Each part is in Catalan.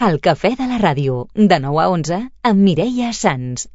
El cafè de la ràdio, de 9 a 11, amb Mireia Sans.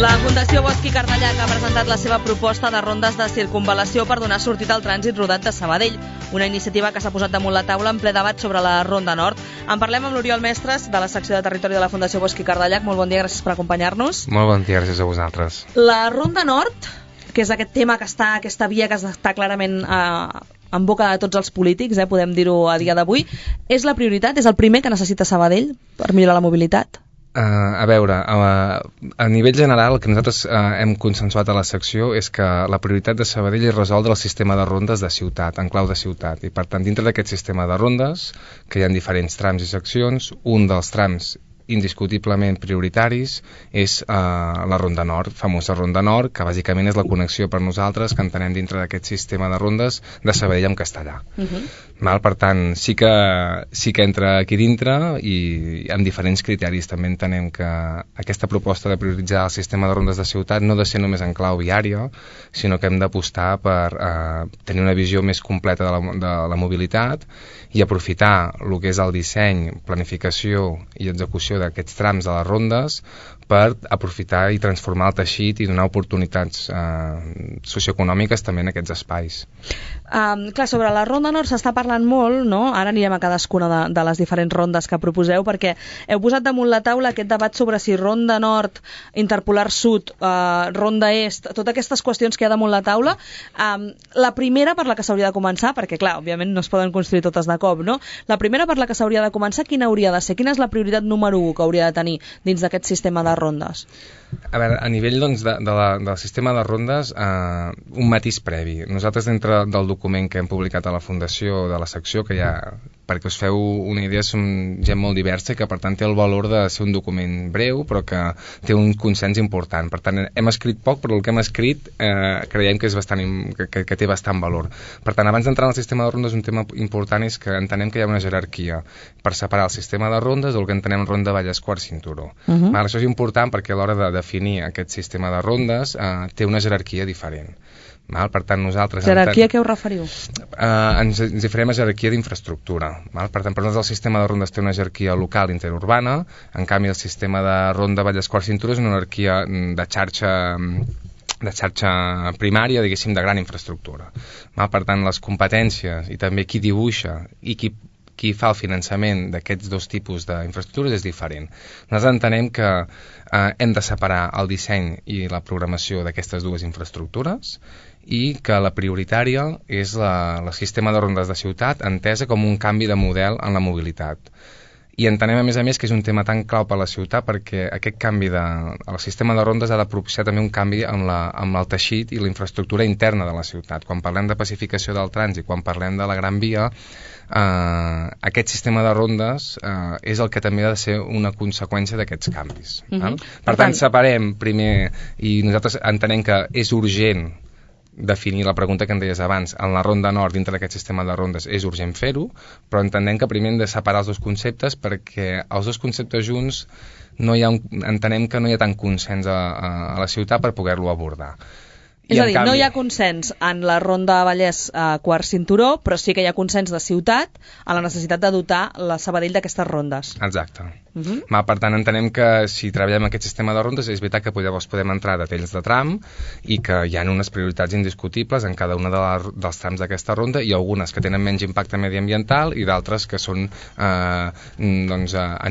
La Fundació Bosch i Cardallac ha presentat la seva proposta de rondes de circunvalació per donar sortida al trànsit rodat de Sabadell, una iniciativa que s'ha posat damunt la taula en ple debat sobre la Ronda Nord. En parlem amb l'Oriol Mestres, de la secció de territori de la Fundació Bosch i Cardallac. Molt bon dia, gràcies per acompanyar-nos. Molt bon dia, gràcies a vosaltres. La Ronda Nord, que és aquest tema que està, aquesta via que està clarament en boca de tots els polítics, podem dir-ho a dia d'avui, és la prioritat, és el primer que necessita Sabadell per millorar la mobilitat? A veure, a nivell general el que nosaltres hem consensuat a la secció és que la prioritat de Sabadell és resoldre el sistema de rondes de ciutat, en clau de ciutat, i per tant dintre d'aquest sistema de rondes, que hi ha diferents trams i seccions, un dels trams indiscutiblement prioritaris és la Ronda Nord, famosa Ronda Nord, que bàsicament és la connexió per nosaltres que entenem dintre d'aquest sistema de rondes de Sabadell amb Castellà. Per tant, sí que entra aquí dintre i amb diferents criteris. També entenem que aquesta proposta de prioritzar el sistema de rondes de ciutat no ha de ser només en clau viària, sinó que hem d'apostar per tenir una visió més completa de la mobilitat i aprofitar el que és el disseny, planificació i execució d'aquests trams de les rondes per aprofitar i transformar el teixit i donar oportunitats socioeconòmiques també en aquests espais. Clar, sobre la Ronda Nord s'està parlant molt, no? Ara anirem a cadascuna de les diferents rondes que proposeu, perquè heu posat damunt la taula aquest debat sobre si Ronda Nord, Interpolar Sud, Ronda Est, totes aquestes qüestions que hi ha damunt la taula. La primera per la que s'hauria de començar, perquè clar, òbviament no es poden construir totes de cop, no? La primera per la que s'hauria de començar, quina hauria de ser? Quina és la prioritat número 1 que hauria de tenir dins d'aquest sistema de rondes? A veure, a nivell doncs, del sistema de rondes, un matís previ. Nosaltres, dintre del document que hem publicat a la Fundació de la secció, que ja, perquè us feu una idea, som gent molt diversa i que per tant té el valor de ser un document breu però que té un consens important. Per tant, hem escrit poc, però el que hem escrit creiem que és que té bastant valor. Per tant, abans d'entrar en el sistema de rondes, un tema important és que entenem que hi ha una jerarquia per separar el sistema de rondes del que entenem ronda Vallès Quart Cinturó. Això és important perquè a l'hora de definir aquest sistema de rondes té una jerarquia diferent. Per tant, nosaltres... Jerarquia, a què us referiu? Ens hi farem a jerarquia d'infraestructura. Per tant, per nosaltres el sistema de rondes té una jerarquia local interurbana, en canvi el sistema de ronda Vallès Quart Cinturó és una jerarquia de xarxa primària, diguéssim, de gran infraestructura. Per tant, les competències i també qui dibuixa i qui fa el finançament d'aquests dos tipus d'infraestructures és diferent. Nosaltres entenem que hem de separar el disseny i la programació d'aquestes dues infraestructures i que la prioritària és el sistema de rondes de ciutat entesa com un canvi de model en la mobilitat. I entenem, a més, que és un tema tan clau per a la ciutat perquè aquest canvi al sistema de rondes ha de propiciar també un canvi amb el teixit i la infraestructura interna de la ciutat. Quan parlem de pacificació del trànsit, quan parlem de la Gran Via, aquest sistema de rondes és el que també ha de ser una conseqüència d'aquests canvis. Per tant, separem primer, i nosaltres entenem que és urgent definir la pregunta que em deies abans, en la Ronda Nord, dintre d'aquest sistema de rondes, és urgent fer-ho, però entenem que primer hem de separar els dos conceptes perquè els dos conceptes junts entenem que no hi ha tant consens a la ciutat per poder-lo abordar. És a dir, no hi ha consens en la Ronda Vallès Quart Cinturó, però sí que hi ha consens de ciutat a la necessitat de dotar la Sabadell d'aquestes rondes. Exacte. Per tant, entenem que si treballem aquest sistema de rondes és veritat que llavors podem entrar a detalls de tram i que hi ha unes prioritats indiscutibles en cada una dels trams d'aquesta ronda i algunes que tenen menys impacte mediambiental i d'altres que són a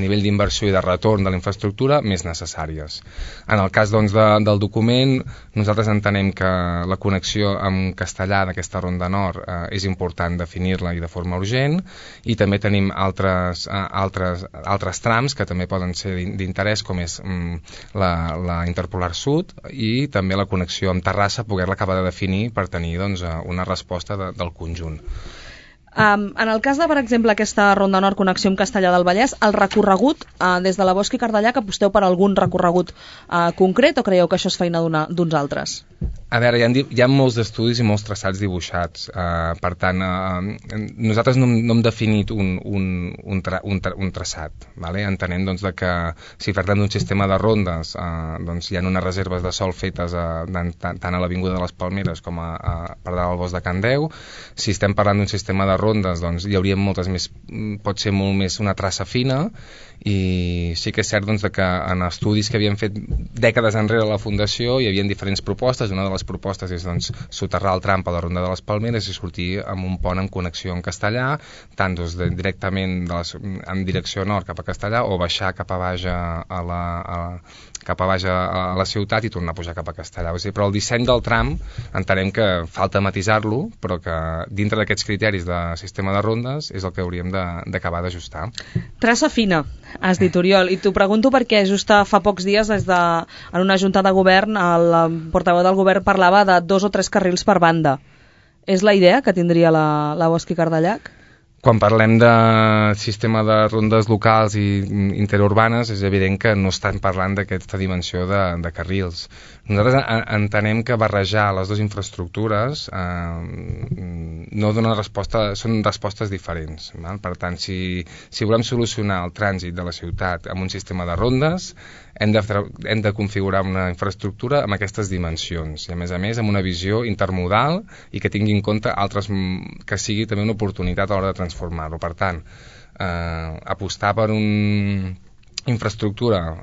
nivell d'inversió i de retorn de la infraestructura més necessàries. En el cas del document, nosaltres entenem que la connexió amb Castellà d'aquesta Ronda Nord és important definir-la i de forma urgent i també tenim altres trams que també poden ser d'interès com és la Interpolar Sud i també la connexió amb Terrassa, poder-la acabar de definir per tenir una resposta del conjunt. En el cas de, per exemple, aquesta Ronda Nord connexió amb Castellà del Vallès, el recorregut, des de la Bosch i Cardallac, aposteu per algun recorregut concret o creieu que això és feina d'uns altres? A veure, hi ha molts estudis i molts traçats dibuixats. Per tant, nosaltres no hem definit un traçat. Vale? Entenem doncs, que si parlem d'un sistema de rondes, doncs, hi ha unes reserves de sòl fetes tant a l'Avinguda de les Palmeres com a per dalt al bosc de Can Deu. Si estem parlant d'un sistema de rondes, doncs, hi hauria moltes més, pot ser molt més una traça fina, i sí que és cert doncs, que en estudis que havien fet dècades enrere a la Fundació hi havia diferents propostes. Una de les propostes és doncs, soterrar el tram a la Ronda de les Palmeres i sortir amb un pont en connexió en Castellà, tant doncs, directament en direcció nord cap a Castellà, o baixar cap a baix a la ciutat i tornar a pujar cap a Castellà. O sigui, però el disseny del tram entenem que falta matisar-lo, però que dintre d'aquests criteris de sistema de rondes és el que hauríem d'acabar d'ajustar. Traça fina, has dit, Oriol, i t'ho pregunto perquè just fa pocs dies en una junta de govern el portaveu del govern parlava de 2 o 3 carrils per banda. És la idea que tindria la Bosch i Cardellac? Quan parlem de sistema de rondes locals i interurbanes, és evident que no estan parlant d'aquesta dimensió de carrils. Nosaltres entenem que barrejar les dues infraestructures no dona resposta, són respostes diferents. Val? Per tant, si volem solucionar el trànsit de la ciutat amb un sistema de rondes, hem de configurar una infraestructura amb aquestes dimensions i, a més, amb una visió intermodal i que tingui en compte altres, que sigui també una oportunitat a l'hora de transformar-lo. Per tant, apostar per una infraestructura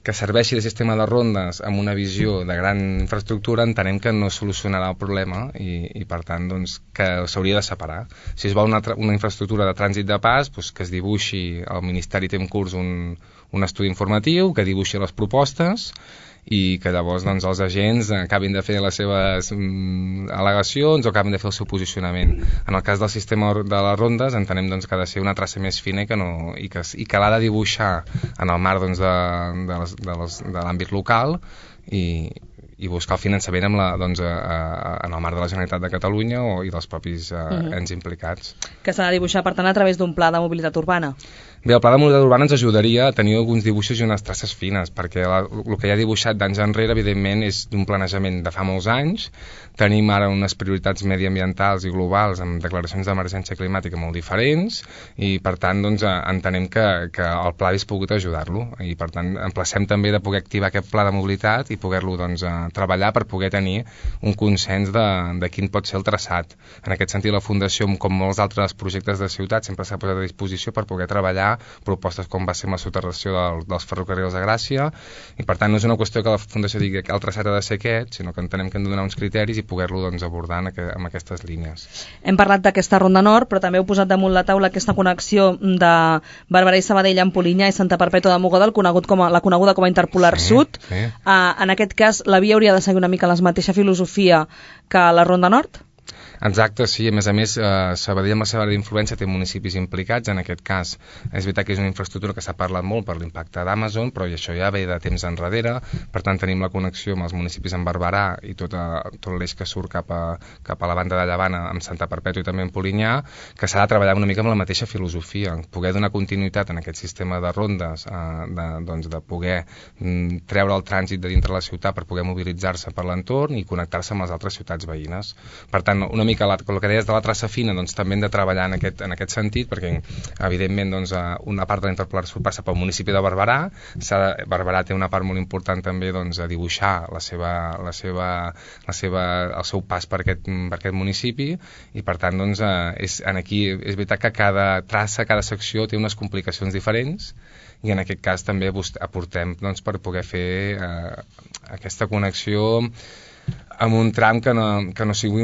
que serveixi de sistema de rondes amb una visió de gran infraestructura, entenem que no solucionarà el problema i per tant, doncs, que s'hauria de separar. Si es vol una infraestructura de trànsit de pas, doncs, que es dibuixi, el Ministeri té en curs un estudi informatiu, que dibuixi les propostes i que llavors doncs, els agents acabin de fer les seves al·legacions o acabin de fer el seu posicionament. En el cas del sistema de les rondes entenem doncs, que ha de ser una traça més fina i que l'ha de dibuixar en el marc doncs, de l'àmbit local i buscar el finançament en el marc de la Generalitat de Catalunya i dels propis ens implicats. Que s'ha de dibuixar, per tant, a través d'un pla de mobilitat urbana? Bé, el pla de mobilitat urbana ens ajudaria a tenir alguns dibuixos i unes traces fines, perquè el que hi ha dibuixat d'anys enrere, evidentment, és d'un planejament de fa molts anys. Tenim ara unes prioritats mediambientals i globals amb declaracions d'emergència climàtica molt diferents i, per tant, doncs, entenem que el pla hagués pogut ajudar-lo i, per tant, emplacem també de poder activar aquest pla de mobilitat i poder-lo doncs, treballar per poder tenir un consens de quin pot ser el traçat. En aquest sentit, la Fundació, com molts altres projectes de ciutat, sempre s'ha posat a disposició per poder treballar propostes com va ser la soterració dels ferrocarrils de Gràcia i, per tant, no és una qüestió que la Fundació digui que el traçat ha de ser aquest, sinó que entenem que hem de donar uns criteris i poder-lo doncs, abordar amb aquestes línies. Hem parlat d'aquesta Ronda Nord, però també heu posat damunt la taula aquesta connexió de Barberà i Sabadell amb Polinyà i Santa Perpètua de Mogoda, la coneguda com a Interpolar Sud. Sí. En aquest cas, la via hauria de seguir una mica la mateixa filosofia que la Ronda Nord? Exacte, sí. A més, Sabadell amb la seva àrea d'influència té municipis implicats. En aquest cas, és veritat que és una infraestructura que s'ha parlat molt per l'impacte d'Amazon, però això ja ve de temps enrere. Per tant, tenim la connexió amb els municipis en Barberà i tot l'eix que surt cap a la banda de Llevant amb Santa Perpètua i també en Polinyà, que s'ha de treballar una mica amb la mateixa filosofia, poder donar continuïtat en aquest sistema de rondes, de poder treure el trànsit de dintre la ciutat per poder mobilitzar-se per l'entorn i connectar-se amb les altres ciutats veïnes. Per tant, una mica el que deies de la traça fina, doncs també hem de treballar en aquest sentit, perquè evidentment doncs, una part de l'Interpolar Sud passa pel municipi de Barberà. Barberà té una part molt important també doncs, a dibuixar el seu pas per aquest municipi i, per tant, doncs, aquí és veritat que cada traça, cada secció té unes complicacions diferents i en aquest cas també aportem doncs, per poder fer aquesta connexió amb un tram que no sigui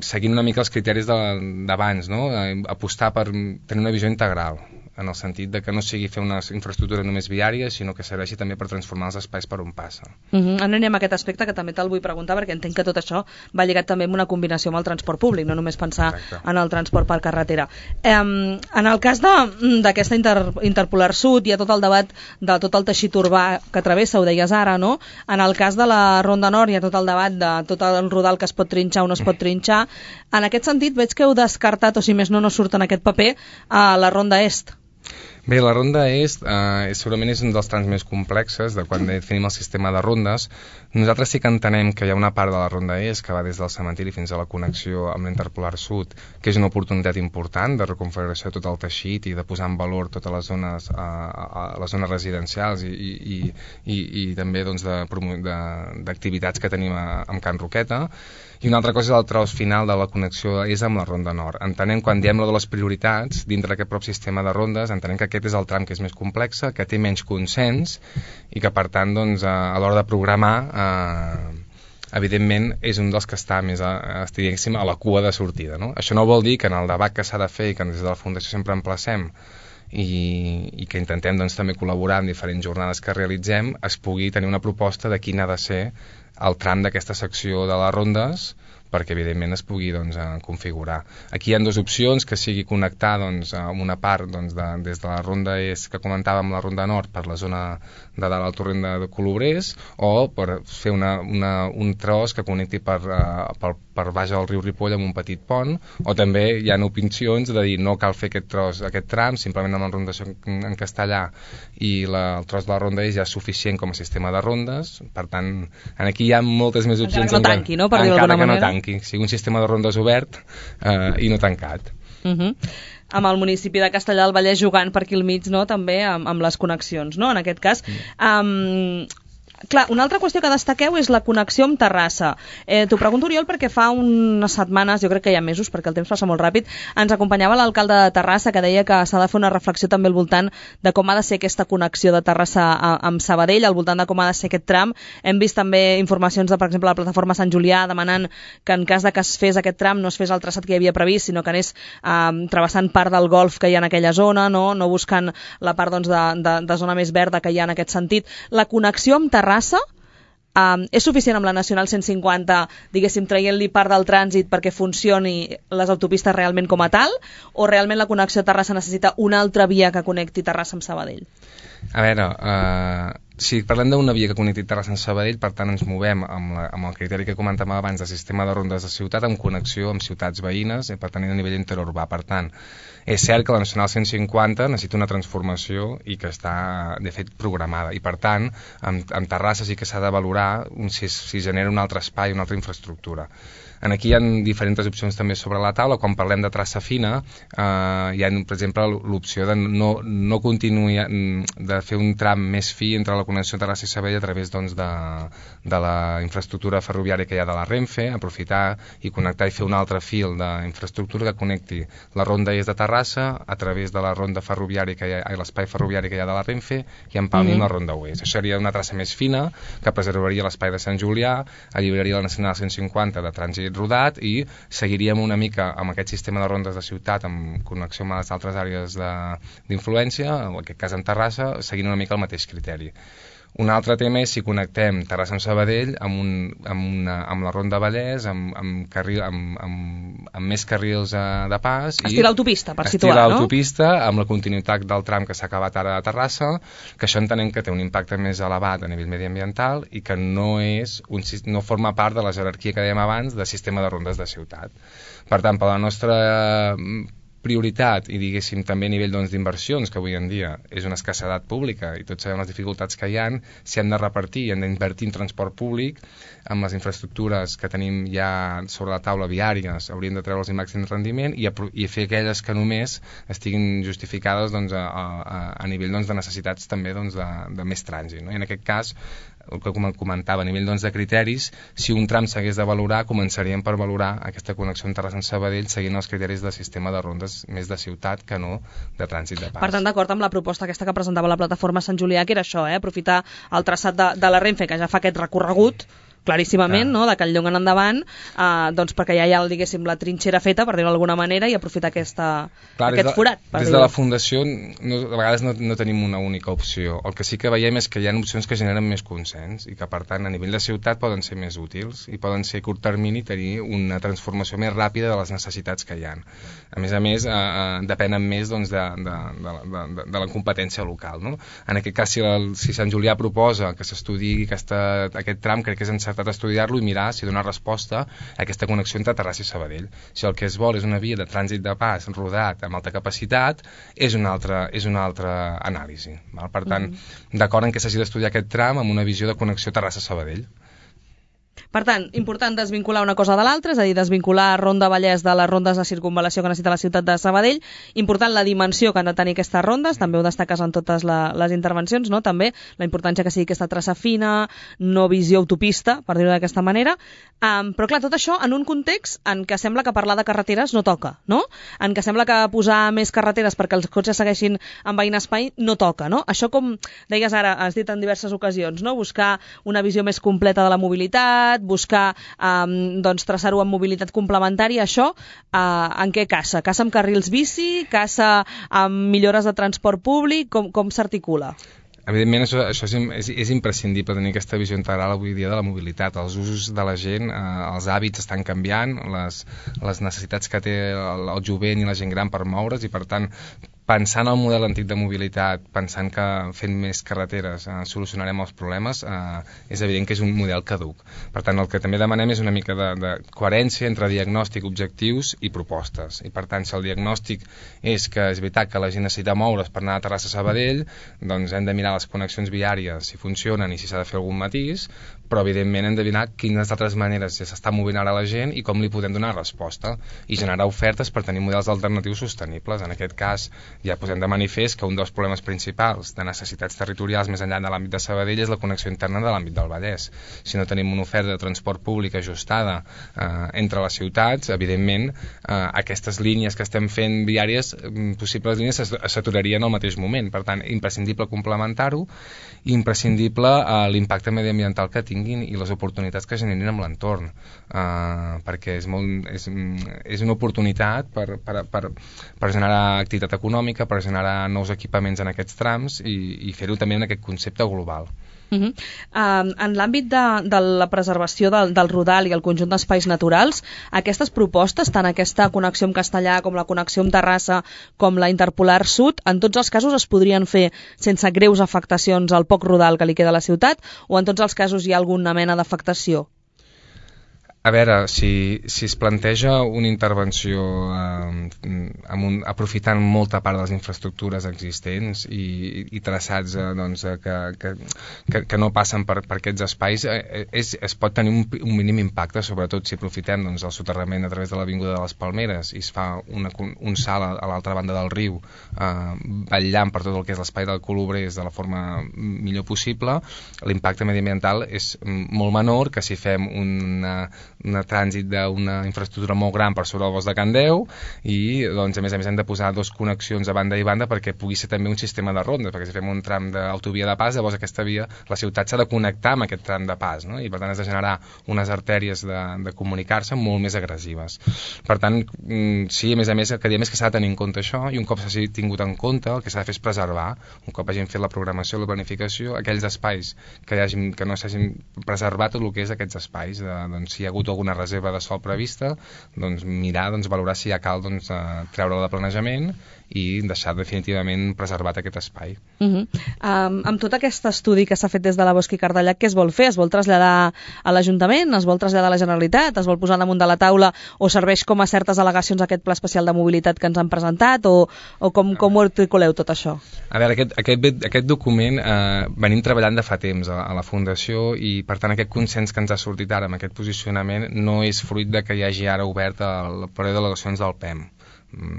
seguint una mica els criteris d'abans, no? Apostar per tenir una visió integral, en el sentit de que no sigui fer una infraestructura només viària, sinó que serveixi també per transformar els espais per on passa. Anem a aquest aspecte que també te'l vull preguntar, perquè entenc que tot això va lligat també amb una combinació amb el transport públic, no només pensar en el transport per carretera. En el cas d'aquesta Interpolar Sud hi ha tot el debat de tot el teixit urbà que travessa, ho deies ara, no? En el cas de la Ronda Nord hi ha tot el debat de tot el rodal que es pot trinxar o no es pot trinxar. En aquest sentit veig que heu descartat, o si més no surt en aquest paper, a la Ronda Est. Bé, la ronda est segurament és un dels trams més complexes de quan definim el sistema de rondes. Nosaltres sí que entenem que hi ha una part de la ronda est que va des del cementiri fins a la connexió amb l'Interpolar Sud, que és una oportunitat important de reconfiguració de tot el teixit i de posar en valor totes les zones, les zones residencials i també doncs, d'activitats que tenim amb Can Roqueta. I una altra cosa és el tros final de la connexió és amb la Ronda Nord. Entenem, quan diem de les prioritats, dintre d'aquest propi sistema de rondes, entenem que aquest és el tram que és més complex, que té menys consens i que, per tant, doncs, a l'hora de programar, evidentment, és un dels que està més a la cua de sortida. No? Això no vol dir que en el debat que s'ha de fer i que des de la Fundació sempre emplacem i que intentem doncs, també col·laborar en diferents jornades que realitzem, es pugui tenir una proposta de quin ha de ser el tram d'aquesta secció de les rondes perquè evidentment es pugui doncs, configurar. Aquí hi ha dues opcions, que sigui connectar doncs, amb una part doncs, des de la ronda est que comentàvem, la ronda nord, per la zona de dalt al torrent de Colobrers, o per fer un tros que connecti per baix al riu Ripoll amb un petit pont, o també hi ha opcions de dir no cal fer aquest tram, simplement amb la rondació en castellà i el tros de la ronda est ja és suficient com a sistema de rondes. Per tant, aquí hi ha moltes més opcions. Encara que no tanqui, no? Per dir-ho d'alguna manera. Sigui un sistema de rondes obert i no tancat. Amb el municipi de Castellar del Vallès jugant per aquí al mig, no? També amb les connexions, no? En aquest cas. Clar, una altra qüestió que destaqueu és la connexió amb Terrassa. T'ho pregunto, Oriol, perquè fa unes setmanes, jo crec que hi ha mesos, perquè el temps passa molt ràpid, ens acompanyava l'alcalde de Terrassa, que deia que s'ha de fer una reflexió també al voltant de com ha de ser aquesta connexió de Terrassa amb Sabadell, al voltant de com ha de ser aquest tram. Hem vist també informacions de, per exemple, la plataforma Sant Julià demanant que en cas de que es fes aquest tram no es fes el traçat que hi havia previst, sinó que anés travessant part del golf que hi ha en aquella zona, no buscant la part doncs, de zona més verda que hi ha en aquest sentit. La connexió amb Terrassa és suficient amb la Nacional 150, diguéssim, traient-li part del trànsit perquè funcioni les autopistes realment com a tal, o realment la connexió a Terrassa necessita una altra via que connecti Terrassa amb Sabadell? A veure, si parlem d'una via que connecti Terrassa amb Sabadell, per tant ens movem amb el criteri que comentàvem abans de sistema de rondes de ciutat amb connexió amb ciutats veïnes, per tant a nivell interurbà. Per tant, és cert que la Nacional 150 necessita una transformació i que està, de fet, programada. I, per tant, amb Terrassa sí que s'ha de valorar si genera un altre espai, una altra infraestructura. Aquí hi ha diferents opcions també sobre la taula. Quan parlem de traça fina, hi ha, per exemple, l'opció de no continuar, de fer un tram més fi entre la connexió Terrassa i Sabadell a través doncs, de la infraestructura ferroviària que hi ha de la Renfe, aprofitar i connectar i fer un altre fil d'infraestructura que connecti la ronda est de Terrassa a través de la ronda ferroviària que hi ha, l'espai ferroviari que hi ha de la Renfe, i empalmi amb la ronda oest. Això seria una traça més fina que preservaria l'espai de Sant Julià, alliberaria la Nacional 150 de trànsit rodat i seguiríem una mica amb aquest sistema de rondes de ciutat amb connexió amb les altres àrees d'influència, en aquest cas amb Terrassa, seguint una mica el mateix criteri. Un altre tema és si connectem Terrassa amb Sabadell amb la Ronda Vallès, amb més carrils de pas. Estil autopista, per situar, no? Estil autopista, amb la continuïtat del tram que s'ha acabat ara a Terrassa, que això entenem que té un impacte més elevat a nivell mediambiental i que no forma part de la jerarquia que dèiem abans de sistema de rondes de ciutat. Per tant, per la nostra prioritat i diguéssim també a nivell d'inversions, que avui en dia és una escassedat pública i tots sabem les dificultats que hi ha, si hem de repartir i hem d'invertir en transport públic amb les infraestructures que tenim ja sobre la taula viàries, hauríem de treure'ls el màxim rendiment i fer aquelles que només estiguin justificades a nivell de necessitats també de més trànsit, no? I en aquest cas el que comentava, a nivell de criteris, si un tram s'hagués de valorar, començaríem per valorar aquesta connexió amb Terrassa amb Sabadell seguint els criteris del sistema de rondes més de ciutat que no de trànsit de pas. Per tant, d'acord amb la proposta aquesta que presentava la plataforma Sant Julià, que era això, aprofitar el traçat de la Renfe, que ja fa aquest recorregut claríssimament, no? De Calllong en endavant, doncs perquè ja hi ha, diguéssim, la trinxera feta, per dir-ho d'alguna manera, i aprofitar aquest forat. Des de la Fundació, a vegades no tenim una única opció. El que sí que veiem és que hi ha opcions que generen més consens i que, per tant, a nivell de ciutat poden ser més útils i poden ser a curt termini tenir una transformació més ràpida de les necessitats que hi ha. A més, depenen més de la competència local, no? En aquest cas, si Sant Julià proposa que s'estudiï aquest tram, crec que és encert tractat d'estudiar-lo i mirar si dona resposta a aquesta connexió entre Terrassa i Sabadell. Si el que es vol és una via de trànsit de pas rodat amb alta capacitat, és una altra anàlisi. Val? Per tant, d'acord en què s'hagi d'estudiar aquest tram amb una visió de connexió Terrassa-Sabadell. Per tant, important desvincular una cosa de l'altra, és a dir, desvincular Ronda Vallès de les rondes de circunvalació que necessita la ciutat de Sabadell. Important la dimensió que han de tenir aquestes rondes, també ho destaques en totes les intervencions, no? També la importància que sigui aquesta traça fina, no visió autopista, per dir-ho d'aquesta manera. Però clar, tot això en un context en què sembla que parlar de carreteres no toca, no? En què sembla que posar més carreteres perquè els cotxes segueixin envaint espai no toca, no? Això, com deies ara, has dit en diverses ocasions, no? Buscar una visió més completa de la mobilitat, buscar traçar-ho amb mobilitat complementària, això en què caça? Caça amb carrils bici? Caça amb millores de transport públic? Com s'articula? Evidentment, això és imprescindible, tenir aquesta visió integral avui dia de la mobilitat. Els usos de la gent, els hàbits estan canviant, les necessitats que té el jovent i la gent gran per moure's, i per tant, pensant en el model antic de mobilitat, pensant que fent més carreteres solucionarem els problemes, és evident que és un model caduc. Per tant, el que també demanem és una mica de coherència entre diagnòstic, objectius i propostes. I per tant, si el diagnòstic és que és veritat que la gent necessita moure's per anar a Terrassa-Sabadell, doncs hem de mirar les connexions viàries, si funcionen i si s'ha de fer algun matís, però evidentment hem de mirar quines altres maneres s'està movent ara la gent i com li podem donar resposta i generar ofertes per tenir models alternatius sostenibles. En aquest cas, ja posem de manifest que un dels problemes principals de necessitats territorials més enllà de l'àmbit de Sabadell és la connexió interna de l'àmbit del Vallès. Si no tenim una oferta de transport públic ajustada entre les ciutats, evidentment aquestes línies que estem fent viàries, possibles línies, s'aturarien al mateix moment. Per tant, imprescindible complementar-ho, i imprescindible l'impacte mediambiental que tinguin i les oportunitats que generin amb l'entorn, perquè és una oportunitat per generar activitat econòmica, per generar nous equipaments en aquests trams i fer-ho també en aquest concepte global. En l'àmbit de la preservació del Rodal i el conjunt d'espais naturals, aquestes propostes, tant aquesta connexió amb Castellà com la connexió amb Terrassa com la Interpolar Sud, en tots els casos es podrien fer sense greus afectacions al poc rodal que li queda a la ciutat, o en tots els casos hi ha alguna mena d'afectació? A veure, si es planteja una intervenció aprofitant molta part de les infraestructures existents i traçats que no passen per aquests espais, es pot tenir un mínim impacte, sobretot si aprofitem el soterrament a través de l'Avinguda de les Palmeres i es fa un salt a l'altra banda del riu, vetllant per tot el que és l'espai del Colobrers de la forma millor possible. L'impacte mediambiental és molt menor que si fem un trànsit d'una infraestructura molt gran per sobre el bosc de Can Deu i a més hem de posar dos connexions a banda i banda perquè pugui ser també un sistema de rondes, perquè si fem un tram d'autovia de pas, llavors aquesta via, la ciutat s'ha de connectar amb aquest tram de pas, no? I per tant has de generar unes artèries de comunicar-se molt més agressives. Per tant, sí, a més el que diem és que s'ha de tenir en compte això, i un cop s'hagi tingut en compte, el que s'ha de fer és preservar, un cop hagin fet la programació, la planificació, aquells espais que no s'hagin preservat tot el que és aquests espais, si hi ha hagut alguna reserva de sòl prevista, mirar, valorar si ja cal treure-la de planejament i deixar definitivament preservat aquest espai. Amb tot aquest estudi que s'ha fet des de la Bosch i Cardellac, què es vol fer? Es vol traslladar a l'Ajuntament? Es vol traslladar a la Generalitat? Es vol posar damunt de la taula o serveix com a certes al·legacions aquest pla especial de mobilitat que ens han presentat o com ho articuleu tot això? A veure, aquest document venim treballant de fa temps a la Fundació i per tant aquest consens que ens ha sortit ara amb aquest posicionament no és fruit de que hi hagi ara obert el període d'al·legacions del PEM.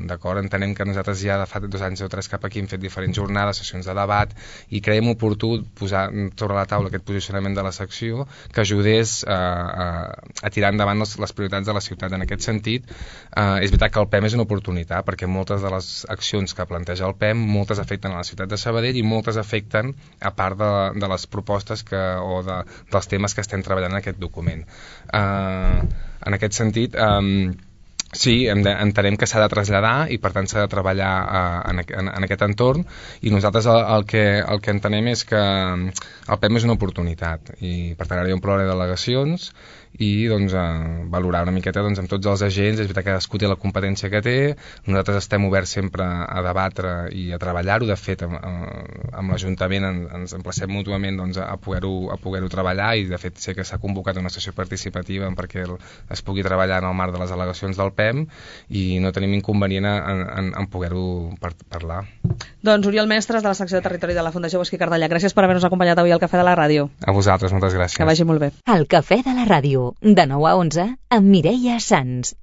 D'acord, entenem que nosaltres ja de fa 2 anys o 3 cap aquí hem fet diferents jornades, sessions de debat, i creiem oportú posar sobre la taula aquest posicionament de la secció que ajudés a tirar endavant les prioritats de la ciutat. En aquest sentit, és veritat que el PEM és una oportunitat, perquè moltes de les accions que planteja el PEM, moltes afecten a la ciutat de Sabadell i moltes afecten a part de les propostes dels temes que estem treballant en aquest document. En aquest sentit, sí, entenem que s'ha de traslladar i per tant s'ha de treballar en aquest entorn, i nosaltres el que entenem és que el PEM és una oportunitat i per tant ara hi ha un problema de delegacions i doncs, valorar una miqueta doncs, amb tots els agents. És veritat que cadascú té la competència que té, nosaltres estem oberts sempre a debatre i a treballar-ho. De fet, amb l'Ajuntament ens emplacem mútuament doncs, a poder-ho treballar, i de fet sé que s'ha convocat una sessió participativa perquè es pugui treballar en el marc de les al·legacions del PEM, i no tenim inconvenient en poder-ho parlar. Doncs Oriol Mestres, de la secció de Territori de la Fundació Bosch i Cardenyà, gràcies per haver-nos acompanyat avui al Cafè de la Ràdio. A vosaltres, moltes gràcies. Que vagi molt bé. El Cafè de la Ràdio, de 9 a 11, amb Mireia Sans.